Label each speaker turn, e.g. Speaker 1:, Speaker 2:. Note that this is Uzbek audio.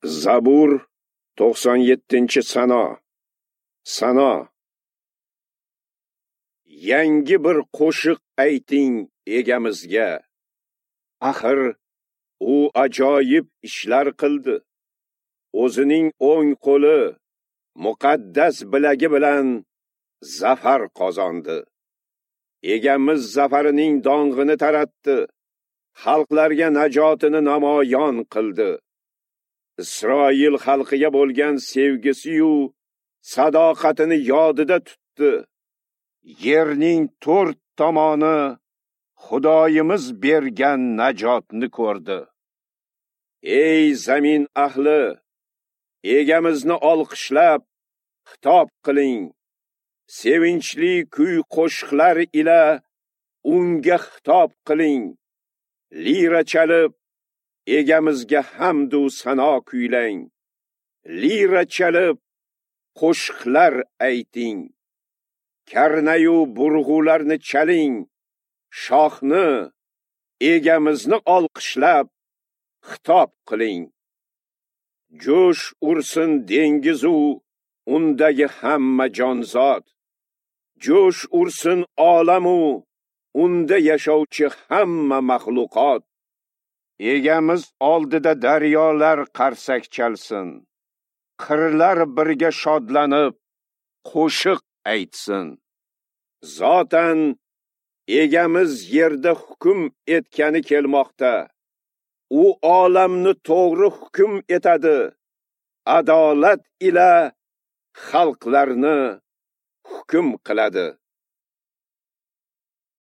Speaker 1: Zabur 97-sano. Sano. Yangi bir qo'shiq ayting egamizga. Axir u ajoyib ishlar qildi. O'zining o'ng qo'li muqaddas bilagi bilan zafar qozondi. Egamiz zafarining dong'ini taratdi. Xalqlarga najotini namoyon qildi. Isroil xalqiga bo'lgan sevgisi-yu sadoqatini yodida tutdi. Yerning to'rt tomoni Xudoyimiz bergan najotni ko'rdi. Ey zamin ahli, egamizni olqishlab xitob qiling. Sevinchli kuy qo'shiqlar ila unga xitob qiling. Lira chalib egamizga hamd u sano kuylang. Lira chalib qo'shiqlar ayting. Karnayu burg'ularni chaling. Shohni, egamizni olqishlab xitob qiling. Jo'sh ursin dengizu undagi hamma jonzot. Jo'sh ursin olamu unda yashovchi hamma maxluqot. Egamiz oldida daryolar qarsak chalsin. Qirlar birga shodlanib qo'shiq aytsin. Zotan egamiz yerda hukm etgani kelmoqda. U olamni to'g'ri hukm etadi. Adolat ila xalqlarni hukm qiladi.